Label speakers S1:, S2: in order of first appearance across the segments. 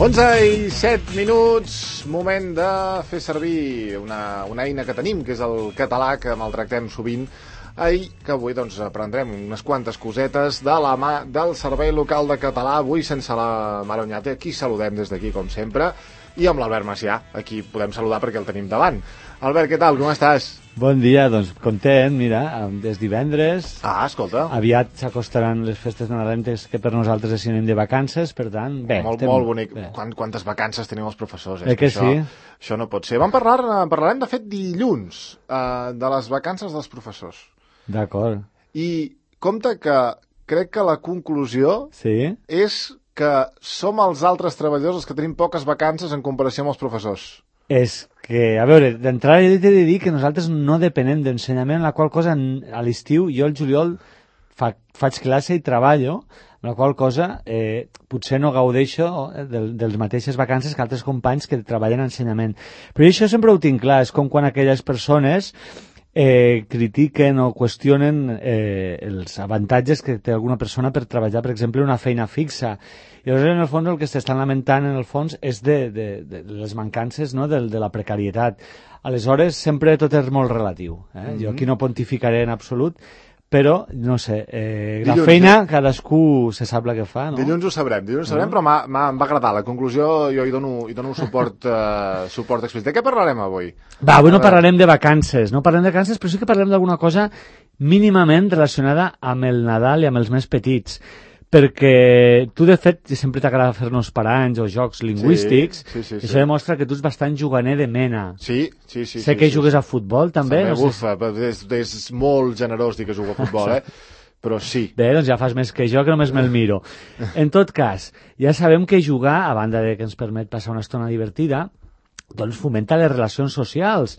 S1: 11:07, moment de fer servir una eina que tenim, que és el català, que maltractem sovint, i que avui aprendrem unes quantes cosetes de la mà del Servei Local de Català, avui sense la Mare Oñate, aquí saludem des d'aquí, com sempre, i amb l'Albert Macià, aquí podem saludar perquè el tenim davant. Albert, què tal, com estàs?
S2: Bon dia, doncs content, mira, és divendres.
S1: Ah, escolta.
S2: Aviat s'acostaran les festes nadalenques que per nosaltres és sinònim de vacances, per tant, bé.
S1: Molt bonic. Quantes vacances teniu els professors?
S2: Que sí?
S1: Això no pot ser. Parlarem, de fet, dilluns, de les vacances dels professors.
S2: D'acord.
S1: I compte que crec que la conclusió és que som els altres treballadors els que tenim poques vacances en comparació amb els professors.
S2: És que, a veure, d'entrada he de dir que nosaltres no depenem d'ensenyament, la qual cosa a l'estiu, jo al juliol faig classe i treballo, la qual cosa potser no gaudeixo dels mateixes vacances que altres companys que treballen en ensenyament. Però això sempre ho tinc clar, és com quan aquelles persones critiquen o qüestionen els avantatges que té alguna persona per treballar, per exemple, una feina fixa. I llavors, en el fons, el que s'estan lamentant, en el fons, és de les mancances, no?, de la precarietat. Aleshores, sempre tot és molt relatiu. Jo aquí no pontificaré en absolut, però, no sé, la feina, cadascú se sap la que fa, no?
S1: Dilluns ho sabrem, però em va agradar. La conclusió, jo hi dono suport explícit. De què parlarem avui?
S2: Avui no parlarem de vacances, però sí que parlarem d'alguna cosa mínimament relacionada amb el Nadal i amb els més petits. Perquè tu, de fet, sempre t'agrada fer-nos paranys o jocs lingüístics,
S1: sí.
S2: Això demostra que tu ets bastant juganer de mena.
S1: Sí.
S2: Sé que jugues a futbol, també.
S1: És molt generós dir que jugo a futbol, però sí.
S2: Bé, doncs ja fas més que jo, que només me'l miro. En tot cas, ja sabem que jugar, a banda de que ens permet passar una estona divertida, doncs fomenta les relacions socials.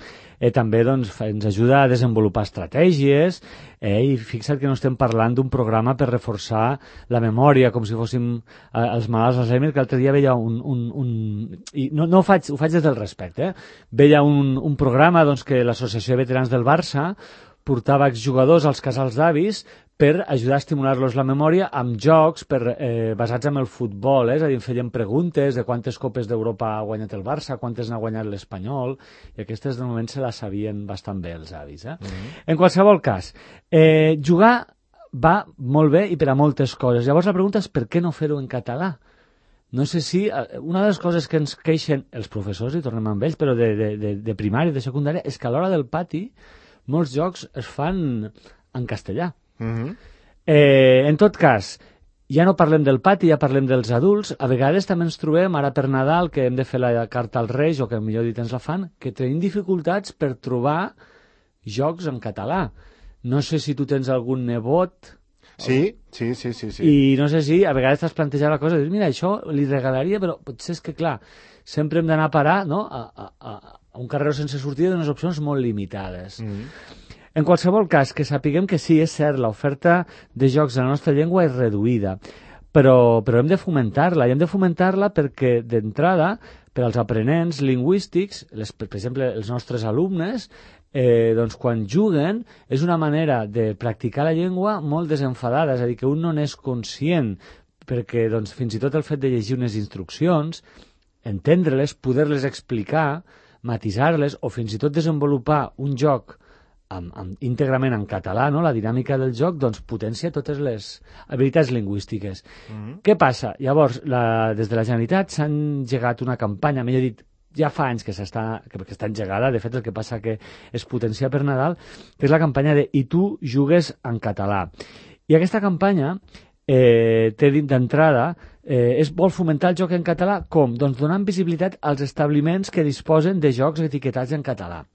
S2: També doncs, ens ajuda a desenvolupar estratègies i fixa't que no estem parlant d'un programa per reforçar la memòria, com si fóssim els malalts d'Alzheimer, que l'altre dia veia i no ho faig des del respecte, veia un programa doncs, que l'Associació de Veterans del Barça portava exjugadors als casals d'avis per ajudar a estimular-los la memòria amb jocs basats en el futbol, és a dir, feien preguntes de quantes copes d'Europa ha guanyat el Barça, quantes n'ha guanyat l'Espanyol, i aquestes de moment se les sabien bastant bé els avis. En qualsevol cas, jugar va molt bé i per a moltes coses. Llavors la pregunta és per què no fer-ho en català? No sé si... Una de les coses que ens queixen els professors, i tornem amb ells, però de primària i de secundària, és que a l'hora del pati molts jocs es fan en castellà. En tot cas, ja no parlem del pati, ja parlem dels adults. A vegades també ens trobem, ara per Nadal, que hem de fer la carta als Reis, o que millor dit ens la fan, que tenim dificultats per trobar jocs en català. No sé si tu tens algun nebot...
S1: Sí.
S2: I no sé si a vegades t'has plantejat la cosa de dir, mira, això li regalaria, però potser és que, clar, sempre hem d'anar a parar, no?, a un carreró sense sortida d'unes opcions molt limitades. En qualsevol cas, que sapiguem que sí, és cert, l'oferta de jocs en la nostra llengua és reduïda, però hem de fomentar-la, i hem de fomentar-la perquè, d'entrada, per als aprenents lingüístics, per exemple, els nostres alumnes, doncs quan juguen és una manera de practicar la llengua molt desenfadada, és a dir, que un no n'és conscient, perquè doncs, fins i tot el fet de llegir unes instruccions, entendre-les, poder-les explicar, matisar-les o fins i tot desenvolupar un joc íntegrament en català, no? La dinàmica del joc, doncs potencia totes les habilitats lingüístiques. Què passa? Llavors, des de la Generalitat s'ha engegat una campanya, millor dit, ja fa anys que està engegada, de fet el que passa que es potencia per Nadal, que és la campanya de I tu jugues en català. I aquesta campanya té d'entrada vol fomentar el joc en català com? Doncs donant visibilitat als establiments que disposen de jocs etiquetats en català.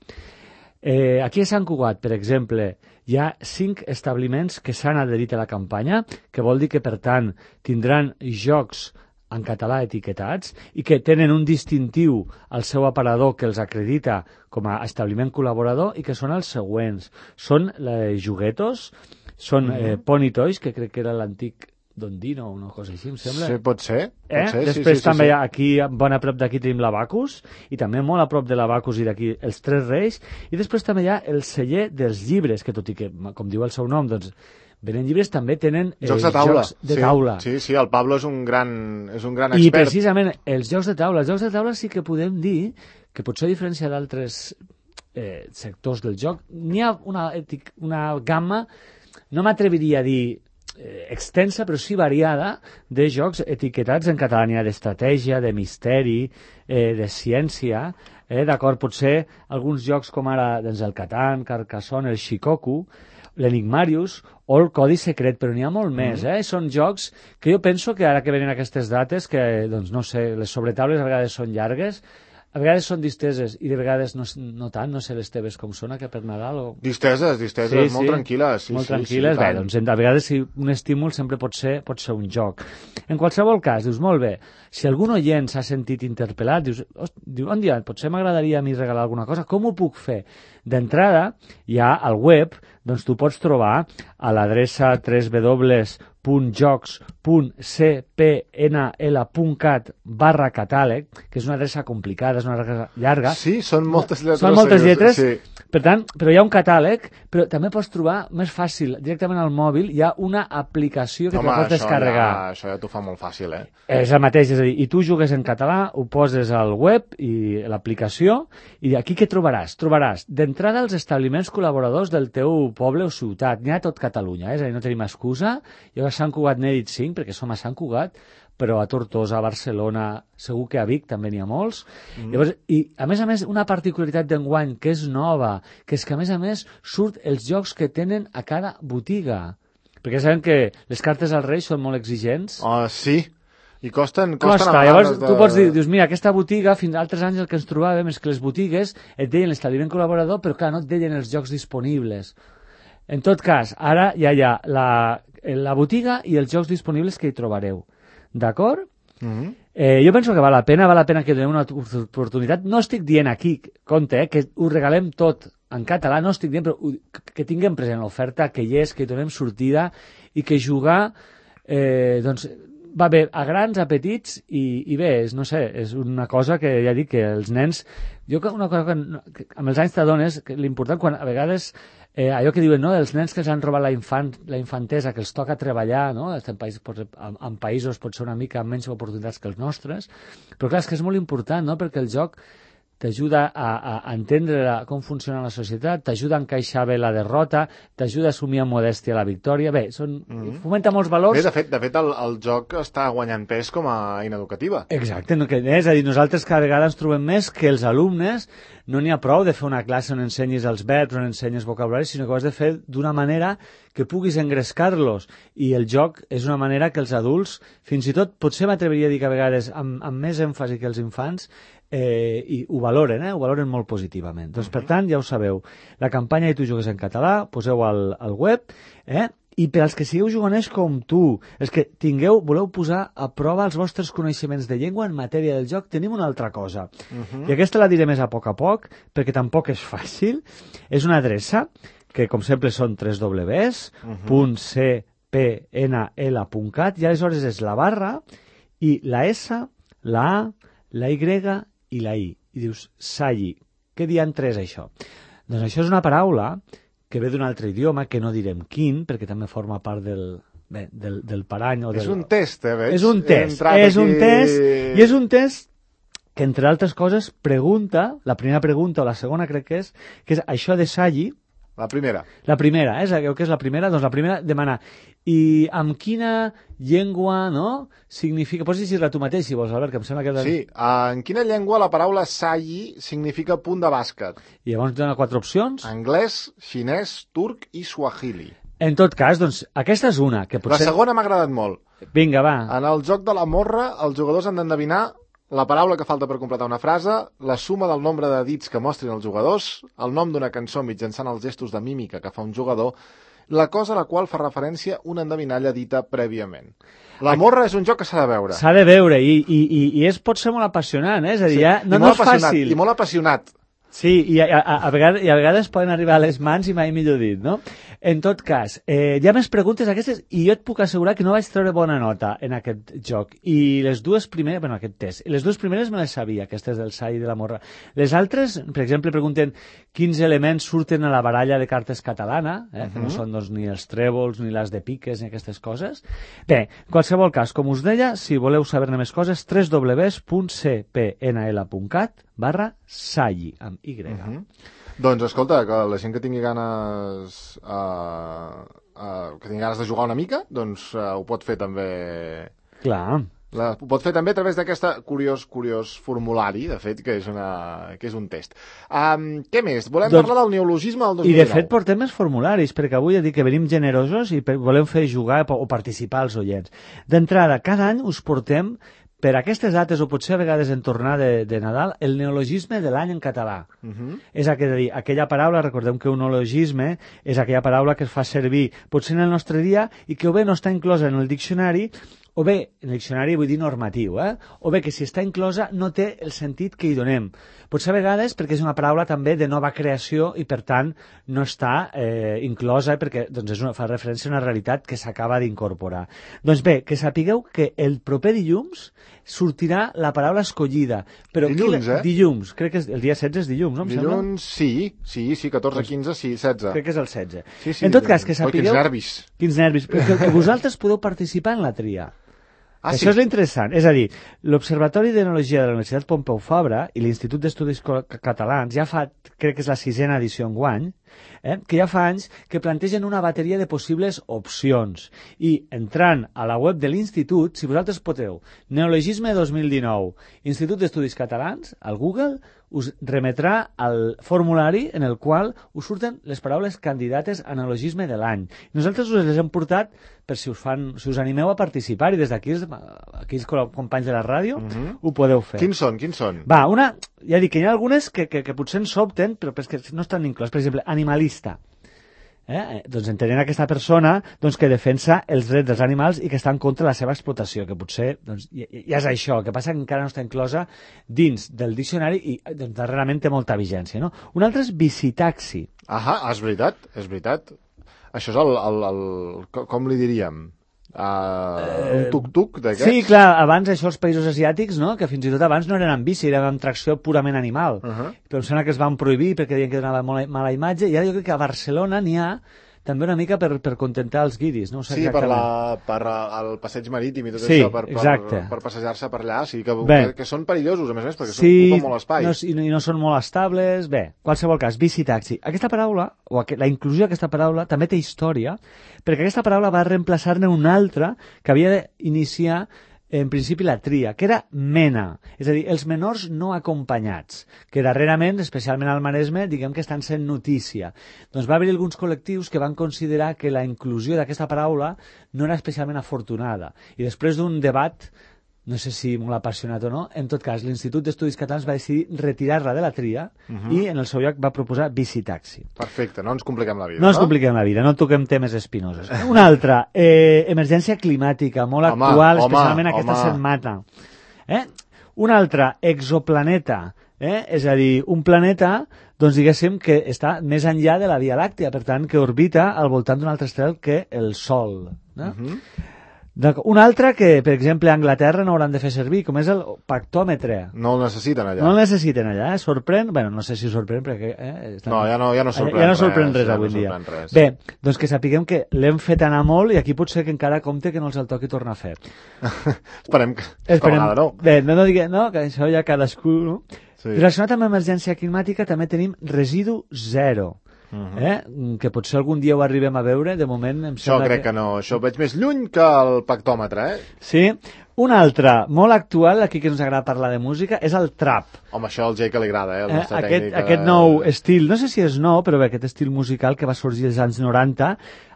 S2: Aquí a Sant Cugat, per exemple, hi ha 5 establiments que s'han adherit a la campanya, que vol dir que, per tant, tindran jocs en català etiquetats i que tenen un distintiu al seu aparador que els acredita com a establiment col·laborador i que són els següents. Són Juguetos, són Pony Toys, que crec que era l'antic Dondino o una cosa així, em sembla.
S1: Sí, pot ser.
S2: Després també aquí, bon a prop d'aquí tenim l'Abacus, i també molt a prop de l'Abacus i d'aquí els Tres Reis, i després també hi ha el celler dels llibres, que tot i que, com diu el seu nom, doncs venen llibres, també tenen
S1: jocs de taula.
S2: Jocs de taula.
S1: Sí, el Pablo és un gran expert.
S2: I precisament els jocs de taula sí que podem dir que potser a diferència d'altres sectors del joc, n'hi ha una gamma, no m'atreviria a dir extensa, però sí variada, de jocs etiquetats en català. N'hi ha d'estratègia, de misteri, de ciència, d'acord? Potser alguns jocs com ara doncs, el Catan, Carcassonne, el Shikoku, l'Enigmarius o el Codi Secret, però n'hi ha molt més. Són jocs que jo penso que ara que venen aquestes dates, que doncs, no sé, les sobretaules a vegades són llargues, a vegades són disteses i de vegades no tant, no sé les teves com són, que per Nadal o...
S1: Disteses, molt tranquil·les.
S2: Molt tranquil·les, bé, doncs a vegades un estímul sempre pot ser un joc. En qualsevol cas, dius, molt bé, si algun oient s'ha sentit interpel·lat, diu, un dia, potser m'agradaria a mi regalar alguna cosa, com ho puc fer? D'entrada, ja al web, doncs tu pots trobar a l'adreça www.jocs.cpnl.cat/catàleg, que és una adreça complicada, és una adreça llarga.
S1: Sí, són moltes lletres.
S2: Són moltes lletres,
S1: sí.
S2: per tant, però hi ha un catàleg, però també pots trobar més fàcil, directament al mòbil, hi ha una aplicació que te pots descarregar.
S1: Això ja t'ho fa molt fàcil,
S2: És el mateix, és a dir, i tu jugues en català, ho poses al web i l'aplicació, i aquí què trobaràs? Trobaràs d'entrada els establiments col·laboradors del teu poble o ciutat. N'hi ha tot Catalunya, és a dir, no tenim excusa. Jo a Sant Cugat n'he dit 5, perquè som a Sant Cugat, però a Tortosa, a Barcelona, segur que a Vic també n'hi ha molts. Llavors, i a més, una particularitat d'enguany que és nova, que és que a més surt els jocs que tenen a cada botiga. Perquè sabem que les cartes als Reis són molt exigents.
S1: Sí, i costen
S2: llavors tu pots dir, dius, mira, aquesta botiga, fins a altres anys el que ens trobàvem és que les botigues et deien l'establiment col·laborador, però clar, no et deien els jocs disponibles. En tot cas, ara ja hi ha la botiga i els jocs disponibles que hi trobareu. D'acord? Jo penso que val la pena que donem una oportunitat. No estic dient aquí, compte, que ho regalem tot en català, no estic dient, però que tinguem present l'oferta, que hi és, que hi donem sortida i que jugar, doncs, va bé a grans, a petits i bé, no sé, és una cosa que ja dic que els nens... Una cosa que amb els anys t'adones, l'important quan a vegades allò que diuen, no, els nens que els han robat la infantesa, que els toca treballar, no? En països pot ser una mica amb menys oportunitats que els nostres, però clar, és que és molt important, no?, perquè el joc t'ajuda a entendre com funciona la societat, t'ajuda a encaixar bé la derrota, t'ajuda a assumir amb modèstia la victòria. Bé, fomenta molts valors.
S1: Bé, de fet el joc està guanyant pes com a eina educativa.
S2: Exacte, és a dir, nosaltres cada vegada ens trobem més que els alumnes no n'hi ha prou de fer una classe on ensenyis els verbs, on ensenyis vocabulari, sinó que ho has de fer d'una manera que puguis engrescar-los. I el joc és una manera que els adults, fins i tot, potser m'atreviria a dir que a vegades amb més èmfasi que els infants, i ho valoren molt positivament. Doncs, per tant, ja ho sabeu, la campanya I tu jugues en català, poseu al web, i per als que sigueu juganers com tu, els que voleu posar a prova els vostres coneixements de llengua en matèria del joc, tenim una altra cosa. I aquesta la diré més a poc, perquè tampoc és fàcil. És una adreça que, com sempre, són www.cpnl.cat i aleshores és la barra i la S, la A, la Y i la I. I dius, Salli. Què diantre és això? Doncs això és una paraula que ve d'un altre idioma, que no direm quin, perquè també forma part del parany.
S1: És un test, veig?
S2: És un test, i és un test que, entre altres coses, pregunta, la primera pregunta o la segona crec que és això de Salli.
S1: La primera.
S2: La primera, sabeu què és la primera? Doncs la primera demana, i amb quina llengua, no? Significa... Pots llegir-la tu mateix, si vols, Albert, que em sembla que...
S1: Sí, en quina llengua la paraula Salli significa punt de bàsquet?
S2: I llavors dona 4 opcions.
S1: Anglès, xinès, turc i suahili.
S2: En tot cas, doncs, aquesta és una que potser...
S1: La segona m'ha agradat molt.
S2: Vinga, va.
S1: En el joc de la morra, els jugadors han d'endevinar la paraula que falta per completar una frase, la suma del nombre de dits que mostrin els jugadors, el nom d'una cançó mitjançant els gestos de mímica que fa un jugador, la cosa a la qual fa referència una endevinalla dita prèviament. La morra és un joc que s'ha de veure.
S2: S'ha de veure i pot ser molt apassionant, És a dir, no és fàcil.
S1: I molt apassionat.
S2: Sí, i a vegades poden arribar a les mans i mai millor dit, no? En tot cas, hi ha més preguntes aquestes i jo et puc assegurar que no vaig treure bona nota en aquest joc. I les dues primeres, bueno, aquest test, les dues primeres me les sabia, aquestes del Sai i de la Morra. Les altres, per exemple, pregunten quins elements surten a la baralla de cartes catalana, que no són doncs, ni els trèvols, ni les de piques, ni aquestes coses. Bé, en qualsevol cas, com us deia, si voleu saber-ne més coses, www.cpnl.cat/Sai, amb Y.
S1: Doncs escolta, que la gent que tingui ganes de jugar una mica, doncs ho pot fer també.
S2: Clar.
S1: Ho pot fer també a través d'aquest curiós formulari, de fet, que és un test. Què més? Volem parlar del neologisme del 2019.
S2: I de fet portem més formularis, perquè avui he dit que venim generosos i volem fer jugar o participar als oients. D'entrada, cada any us portem per aquestes dates, o potser a vegades en tornada de Nadal, el neologisme de l'any en català. És a dir, aquella paraula, recordem que un neologisme és aquella paraula que es fa servir potser en el nostre dia i que o bé no està inclosa en el diccionari, o bé, en el diccionari vull dir normatiu, o bé que si està inclosa no té el sentit que hi donem. Potser a vegades perquè és una paraula també de nova creació i per tant no està inclosa perquè doncs, fa referència a una realitat que s'acaba d'incorporar. Doncs bé, que sapigueu que el proper dilluns sortirà la paraula escollida. Però
S1: dilluns,
S2: dilluns, crec que el dia 16 és dilluns, no?
S1: Dilluns, sí, 14, 15, sí, 16.
S2: Crec que és el 16.
S1: Sí,
S2: en tot cas, que sapigueu...
S1: Quins nervis.
S2: Quins nervis. Que vosaltres podeu participar en la tria. Això és l'interessant. És a dir, l'Observatori d'Enologia de la Universitat Pompeu Fabra i l'Institut d'Estudis Catalans ja fa, crec que és la 6a edició enguany, que ja fa anys que plantegen una bateria de possibles opcions. I entrant a la web de l'Institut, si vosaltres poteu, Neologisme 2019, Institut d'Estudis Catalans, al Google, us remetrà al formulari en el qual us surten les paraules candidates a neologisme de l'any. Nosaltres us les hem portat per si us animeu a participar i des d'aquí els companys de la ràdio ho podeu fer.
S1: Quins són?
S2: Va, ja dic que hi ha algunes que potser ens sobten però és que no estan inclòs. Per exemple, animalista. Doncs entenent aquesta persona que defensa els drets dels animals i que està en contra de la seva explotació, que potser ja és això, el que passa que encara no està inclosa dins del diccionari i darrerament té molta vigència. No? Un altre és visitaxi.
S1: És veritat. Això és com li diríem? Un tuk-tuk d'aquests?
S2: Sí, clar, abans això els països asiàtics, no? Que fins i tot abans no eren amb bici, eren amb tracció purament animal. Però em sembla que es van prohibir perquè deien que donava molt mala imatge, i ara jo crec que a Barcelona n'hi ha també una mica per contentar els guiris, no?
S1: Sí, per el passeig marítim i tot això, per passejar-se per allà, sí, que són perillosos, a més, perquè ocupen molt espai.
S2: I no són molt estables. Bé, qualsevol cas, bici-taxi. Aquesta paraula, o la inclusió d'aquesta paraula, també té història, perquè aquesta paraula va reemplaçar-ne una altra que havia d'iniciar en principi la tria, que era mena, és a dir, els menors no acompanyats, que darrerament, especialment al Maresme, diguem que estan sent notícia. Doncs va haver alguns col·lectius que van considerar que la inclusió d'aquesta paraula no era especialment afortunada. I després d'un debat, no sé si molt apassionat o no, en tot cas, l'Institut d'Estudis Catalans va decidir retirar-la de la tria i en el seu lloc va proposar visitaxi.
S1: Perfecte, no ens compliquem la vida.
S2: No ens compliquem la vida, no toquem temes espinosos. Una altra, emergència climàtica, molt actual, especialment aquesta setmana. Una altra, exoplaneta, és a dir, un planeta, doncs diguéssim que està més enllà de la Via Làctea, per tant, que orbita al voltant d'un altre estel que el Sol. Un altre que, per exemple, a Anglaterra no hauran de fer servir, com és el pactòmetre.
S1: No el necessiten allà.
S2: No el necessiten allà, sorprèn? Bé, no sé si sorprèn, perquè...
S1: No, ja no sorprèn res.
S2: Ja no sorprèn res avui dia. Bé, doncs que sapiguem que l'hem fet anar molt i aquí potser que encara compte que no els el toqui tornar a fer.
S1: Esperem que vegada no.
S2: Bé, no diguem, no, que això ja cadascú, no? Relacionat amb emergència climàtica també tenim residu zero. Que potser algun dia ho arribem a veure, de moment em sembla
S1: Això crec que no, això ho veig més lluny que el pactòmetre,
S2: Sí. Un altre, molt actual, aquí que ens agrada parlar de música, és el trap.
S1: Home, això al Jay que li agrada, el nostre
S2: tècnic. Aquest nou estil, no sé si és nou, però bé, aquest estil musical que va sorgir als anys 90,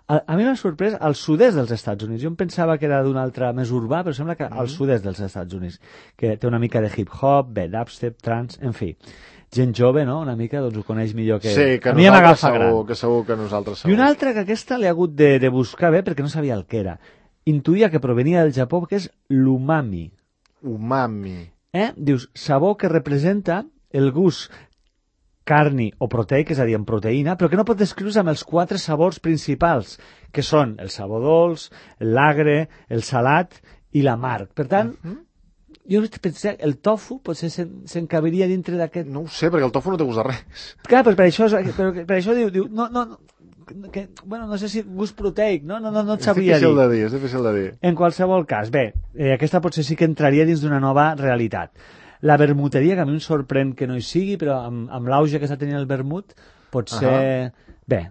S2: a mi m'ha sorprès al sud-est dels Estats Units. Jo em pensava que era d'un altre més urbà, però sembla que al sud-est dels Estats Units, que té una mica de hip-hop, dubstep, trance, en fi. Gent jove, no?, una mica, doncs ho coneix millor que...
S1: Sí, que
S2: a mi m'agafa gran.
S1: Que segur que nosaltres segur.
S2: I una altra que aquesta l'he hagut de buscar bé perquè no sabia el que era. Intuïa que provenia del Japó, que és l'umami.
S1: Umami.
S2: Dius, sabor que representa el gust carni o proteic, és a dir, amb proteïna, però que no pot descriure's amb els 4 sabors principals, que són el sabor dolç, l'agre, el salat i l'amarg. Per tant, jo pensé, el tofu potser s'encabiria dintre d'aquest...
S1: No ho sé, perquè el tofu no té gust de res.
S2: Clar, però per això diu no sé si gust proteic, no et sabria dir.
S1: És difícil de dir.
S2: En qualsevol cas, bé, aquesta potser sí que entraria dins d'una nova realitat. La vermuteria, que a mi em sorprèn que no hi sigui, però amb l'auge que està tenint el vermut, potser... Bé.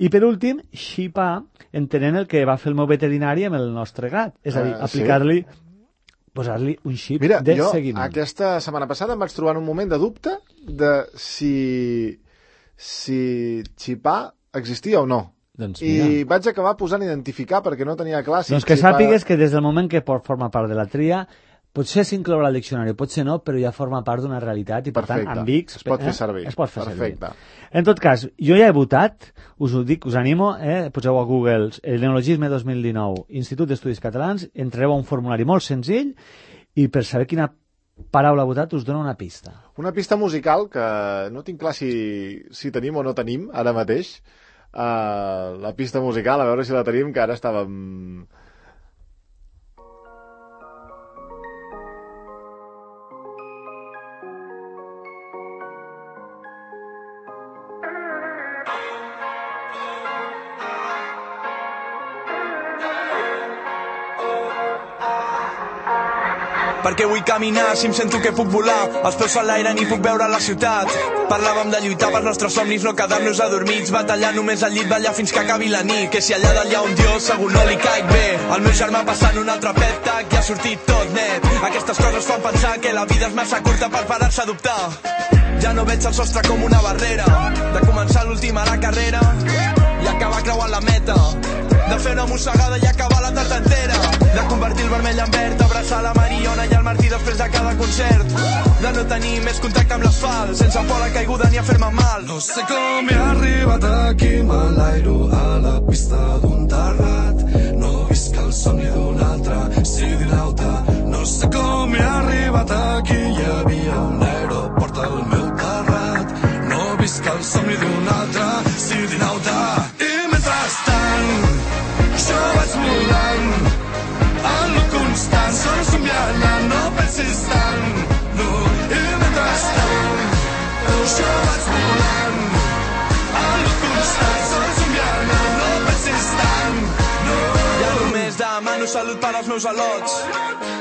S2: I per últim, xipar, entenent el que va fer el meu veterinari amb el nostre gat. És a dir, aplicar-li... posar-li un xip de seguiment.
S1: Mira, jo aquesta setmana passada em vaig trobar en un moment de dubte de si xipar existia o no.
S2: Doncs
S1: I vaig acabar posant identificar perquè no tenia clar si...
S2: Doncs que sàpigues que des del moment que forma part de la tria, potser s'inclourà al diccionari, potser no, però ja forma part d'una realitat i per tant amb X...
S1: Es pot fer servir.
S2: Es pot fer servir. En tot cas, jo ja he votat, us ho dic, us animo, poseu a Google el Neologisme 2019, Institut d'Estudis Catalans, entreu a un formulari molt senzill i per saber quina paraula ha votat us dono una pista.
S1: Una pista musical que no tinc clar si tenim o no tenim ara mateix. La pista musical, a veure si la tenim, que ara estàvem...
S3: Perquè vull caminar, si em sento que puc volar, els peus a l'aire ni puc veure la ciutat. Parlàvem de lluitar pels nostres somnis, no quedar-nos adormits, batallar només al llit, ballar fins que acabi la nit. Que si allà dalt hi ha un dios, segur no li caic bé. El meu germà passant un altre pet tag i ha sortit tot net. Aquestes coses fan pensar que la vida és massa curta per parar-se a dubtar. Ja no veig el sostre com una barrera, de començar l'última a la carrera i acabar creuant la meta, de fer una mossegada i acabar la tarda entera, de convertir el vermell en verd, abraçar la Mariona i el Martí després de cada concert, de no tenir més contacte amb l'asfalt, sense por a la caiguda ni a fer-me mal.
S4: No sé com he arribat aquí, m'enlairo a la pista d'un terrat, no visc el somni d'un altre sidinauta. No sé com he arribat aquí, hi havia un aeroport al meu terrat, no visc el somni d'un altre sidinauta. I mentrestant jo vaig volant en lo constant, sol somiant, no pensis tant, no. I mentrestant jo vaig volant en lo constant, sol somiant, no pensis tant, no.
S3: Ja només demano salut per als meus al·lots,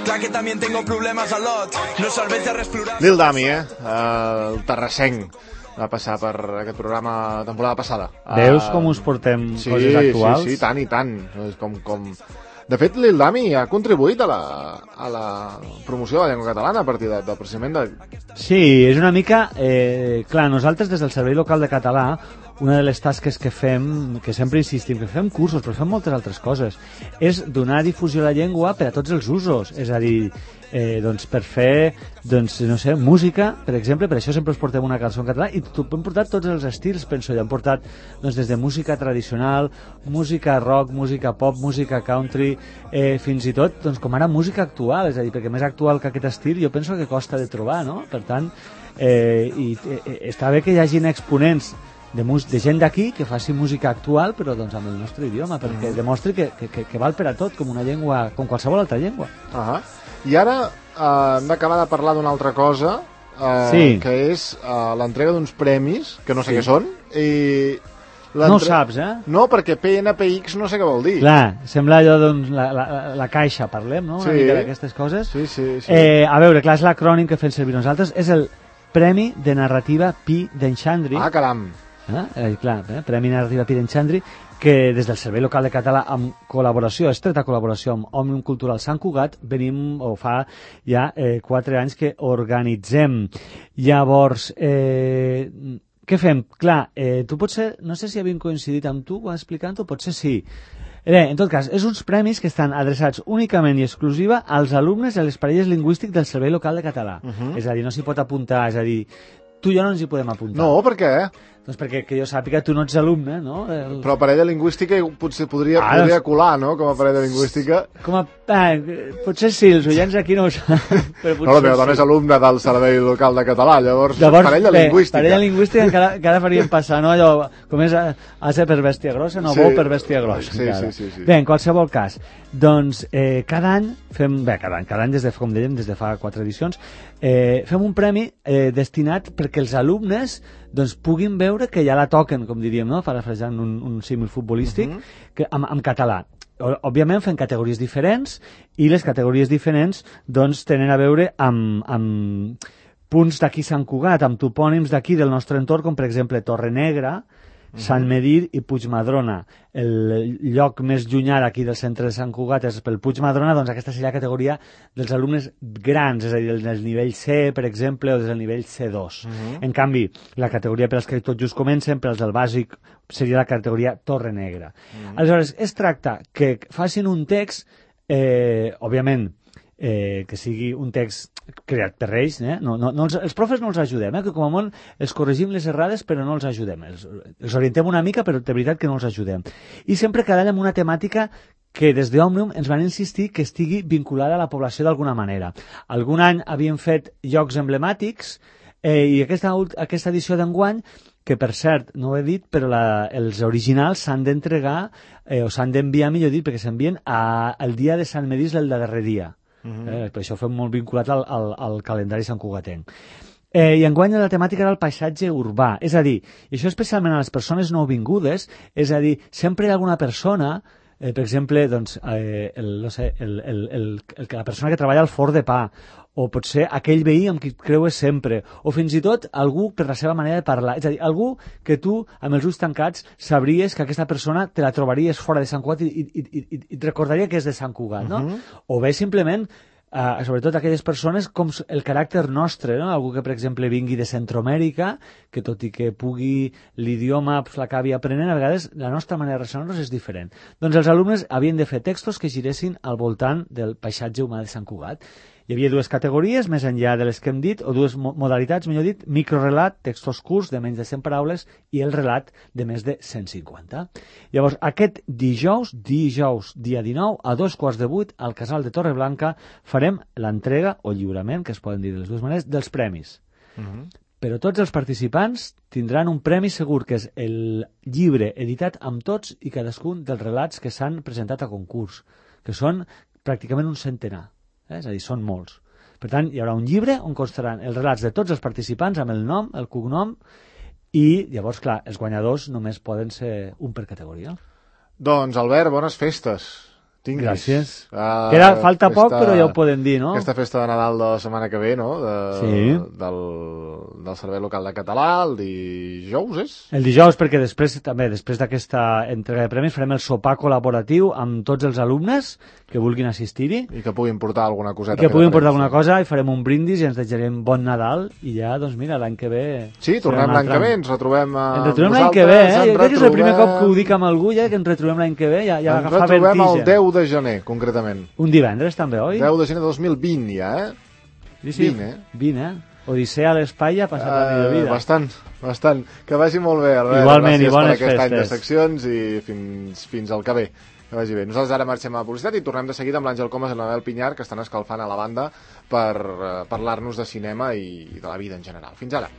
S3: clar que també tengo problemes a lot, no serveix de res plorar.
S1: Lil Dami, el terrassenc, va passar per aquest programa temporada passada.
S2: Veus com us portem coses actuals?
S1: Sí, tant i tant. Com... De fet, Lil Dami ha contribuït a la promoció de la llengua catalana a partir del precisament de...
S2: Sí, és una mica... clar, nosaltres des del Servei Local de Català, una de les tasques que fem, que sempre insistim, que fem cursos, però fem moltes altres coses, és donar difusió a la llengua per a tots els usos. És a dir, doncs per fer, doncs, no sé, música, per exemple, per això sempre us portem una cançó en català, i hem portat tots els estils, penso jo. Hem portat doncs, des de música tradicional, música rock, música pop, música country, fins i tot, doncs, com ara música actual, és a dir, perquè més actual que aquest estil jo penso que costa de trobar, no? Per tant, està bé que hi hagin exponents de gent d'aquí que faci música actual però doncs amb el nostre idioma, perquè demostri que val per a tot, com una llengua, com qualsevol altra llengua.
S1: I ara hem d'acabar de parlar d'una altra cosa, que és l'entrega d'uns premis que no sé què són, i
S2: no ho saps,
S1: no, perquè PNPX no sé què vol dir.
S2: Clar, sembla allò, doncs, la caixa, parlem, no? Una mica d'aquestes coses.
S1: Sí.
S2: A veure, clar, és l'acrònim que fem servir nosaltres, és el Premi de Narrativa Pi d'en Xandri.
S1: Ah, caram!
S2: Clar, Premi Narrativa Pi d'en Xandri, que des del Servei Local de Català, amb col·laboració, estreta col·laboració amb Òmnium Cultural Sant Cugat, venim, o fa ja 4 anys que organitzem. Llavors, què fem? Clar, tu potser, no sé si havim coincidit amb tu explicant-ho, potser sí. Bé, en tot cas, és uns premis que estan adreçats únicament i exclusiva als alumnes de les parelles lingüístics del Servei Local de Català. És a dir, no s'hi pot apuntar, és a dir, tu i jo no ens hi podem apuntar.
S1: No, per què?
S2: Doncs perquè que jo sàpiga, tu no ets alumne, no?
S1: Però a parella lingüística potser podria colar, no?, com a parella lingüística.
S2: Potser sí, els oients aquí no ho saben.
S1: No, la meva dona és alumne del Servei Local de Català, llavors parella lingüística.
S2: Parella lingüística encara faríem passar, no? Allò, com és ase per bèstia grossa, no, bou per bèstia grossa.
S1: Sí.
S2: Bé, en qualsevol cas, doncs cada any fem, cada any des de, com dèiem, des de fa 4 edicions, fem un premi destinat perquè els alumnes doncs puguin veure que ja la toquen, com diríem, no? Parafrasejant un símil futbolístic, amb català. Òbviament fem categories diferents i les categories diferents doncs tenen a veure amb punts d'aquí Sant Cugat, amb topònims d'aquí del nostre entorn, com per exemple Torrenegra, Sant Medir i Puigmadrona. El lloc més llunyà d'aquí del centre de Sant Cugat és pel Puigmadrona, doncs aquesta seria la categoria dels alumnes grans, és a dir, del nivell C, per exemple, o del nivell C2. En canvi, la categoria per als que tot just comencen, per als del bàsic, seria la categoria Torrenegra. Aleshores, es tracta que facin un text, òbviament, que sigui un text creat per ells, els profes no els ajudem, que com a molt els corregim les errades però no els ajudem, els orientem una mica però de veritat que no els ajudem, i sempre cada any amb una temàtica que des d'Òmnium ens van insistir que estigui vinculada a la població d'alguna manera. Algun any havíem fet llocs emblemàtics i aquesta edició d'enguany, que per cert, no ho he dit, però els originals s'han d'entregar o s'han d'enviar, millor dit, perquè s'envien el dia de Sant Medís el darrer dia. Per això fem molt vinculat al calendari santcugatenc. I enguany la temàtica era el paisatge urbà, és a dir, i això especialment a les persones nouvingudes, és a dir, sempre hi ha alguna persona, per exemple, doncs, la persona que treballa al forn de pa, o potser aquell veí amb qui creues sempre, o fins i tot algú per la seva manera de parlar, és a dir, algú que tu, amb els ulls tancats, sabries que aquesta persona te la trobaries fora de Sant Cugat i et recordaria que és de Sant Cugat, no? O bé simplement, sobretot aquelles persones com el caràcter nostre, no? Algú que per exemple vingui de Centroamèrica, que tot i que pugui l'idioma l'acabi aprenent, a vegades la nostra manera de relacionar-nos és diferent. Doncs els alumnes havien de fer textos que giressin al voltant del paisatge humà de Sant Cugat. Hi havia 2 categories, més enllà de les que hem dit, o 2 modalitats, millor dit, microrelat, textos curts de menys de 100 paraules i el relat de més de 150. Llavors, aquest dijous, dia 19, a 7:15, al Casal de Torreblanca, farem l'entrega o lliurament, que es poden dir de les dues maneres, dels premis. Però tots els participants tindran un premi segur, que és el llibre editat amb tots i cadascun dels relats que s'han presentat a concurs, que són pràcticament un centenar. És a dir, són molts. Per tant, hi haurà un llibre on constaran els relats de tots els participants amb el nom, el cognom, i llavors, clar, els guanyadors només poden ser un per categoria.
S1: Doncs, Albert, bones festes. Tinguis.
S2: Gràcies. Falta poc, però ja ho podem dir, no?
S1: Aquesta festa de Nadal de la setmana que ve, no? Del Servei Local de Català, el dijous, és?
S2: El dijous, perquè després d'aquesta entrega de premis, farem el sopar col·laboratiu amb tots els alumnes que vulguin assistir-hi.
S1: I que puguin portar alguna coseta.
S2: I que puguin portar alguna cosa, i farem un brindis i ens desitjarem bon Nadal, i ja, doncs mira, l'any que ve...
S1: Sí, tornem l'any que ve, ens retrobem
S2: Ens retrobem l'any que ve, Jo crec que és el primer cop que ho dic amb algú, ja, que ens retrobem l'any que ve, ja agafa vertigen.
S1: Ens retrobem el 10 de gener, concretament.
S2: Un divendres, també, oi?
S1: 10 de gener de 2020, ja,
S2: Sí, 20, Odissea a l'espai ha passat la millor vida.
S1: Bastant. Que vagi molt bé, Albert.
S2: Igualment, i bones
S1: festes. Gràcies per aquest any de
S2: festes.
S1: seccions i fins al que ve. Que vagi bé. Nosaltres ara marxem a la publicitat i tornem de seguida amb l'Àngel Comas i l'Anabel Pinyar, que estan escalfant a la banda per parlar-nos de cinema i de la vida en general. Fins ara.